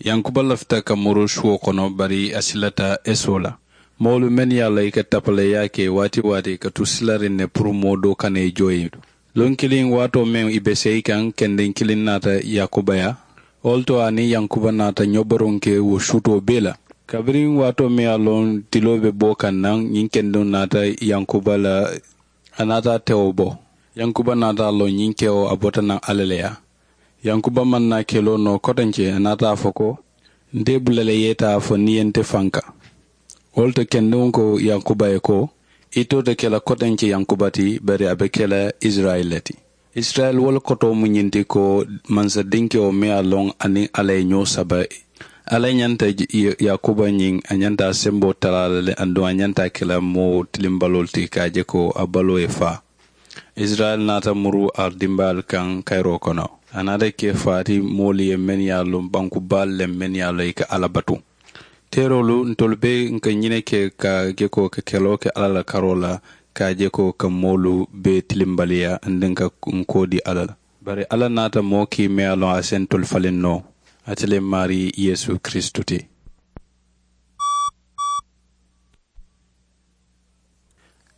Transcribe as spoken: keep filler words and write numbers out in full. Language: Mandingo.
Yankuba lafita ka muru suwo kono bari a silata esoo la. Moolu mennu ye a loŋ i ka tapaleeyaa ke waati-waati ka tu silariŋ ne puru moo doo kana i jooyi. Luŋ kiliŋ waatoo meŋ i be seyi kaŋ kendeŋ kiliŋ naata yakuba yaa. Wo le to a niŋ yankuba naata ñoboruŋ ke wo suutoo bee la. Kabiriŋ waatoo meŋ ye a loŋ tiloo be boo kaŋ naŋ ñiŋ kendeŋo naata yankuba la. A naata a tewo bo. Yankuba naata a loŋ ñiŋ kewo a bota naŋ alla le yaa. Yankuba maŋ naa keloo noo kotenke a naata a fo ko, nte bula le ye taa fo niŋ ye nte fanka. Wo le to kendiŋo ko yankuba ye ko, itoo te ke la kotenke yankuba ti bari a be ke la isirayila le ti. Isirayila wo le kotoo mu ñiŋ ti ko mansadinkewo meŋ ye a loŋ a niŋ alla ye ñoo saba. Alla ñanta yakuba ñiŋ a ñanta a semboo talaa la le aduŋ a ñanta a ke la moo tilimbaloolu ti ka a je ko a baloo ye faa. Isirayila naata muru a dimbaalu kaŋ kayiroo kono. A naata ke faati moolu ye mennu ye a loŋ banku baalu le mennu ye a loŋ i ka alla batu. Teeroolu ntolu bee n ka ñine ke ka je ko ka keloo ke alla la karoo la ka je ko ka moolu bee tilimbaliyaa anduŋ ka n koo dii alla la. Bari alla naata moo kii meŋ ye a loŋ a se ntolu faliŋ noo. Ate le maarii yeesu kiristu ti.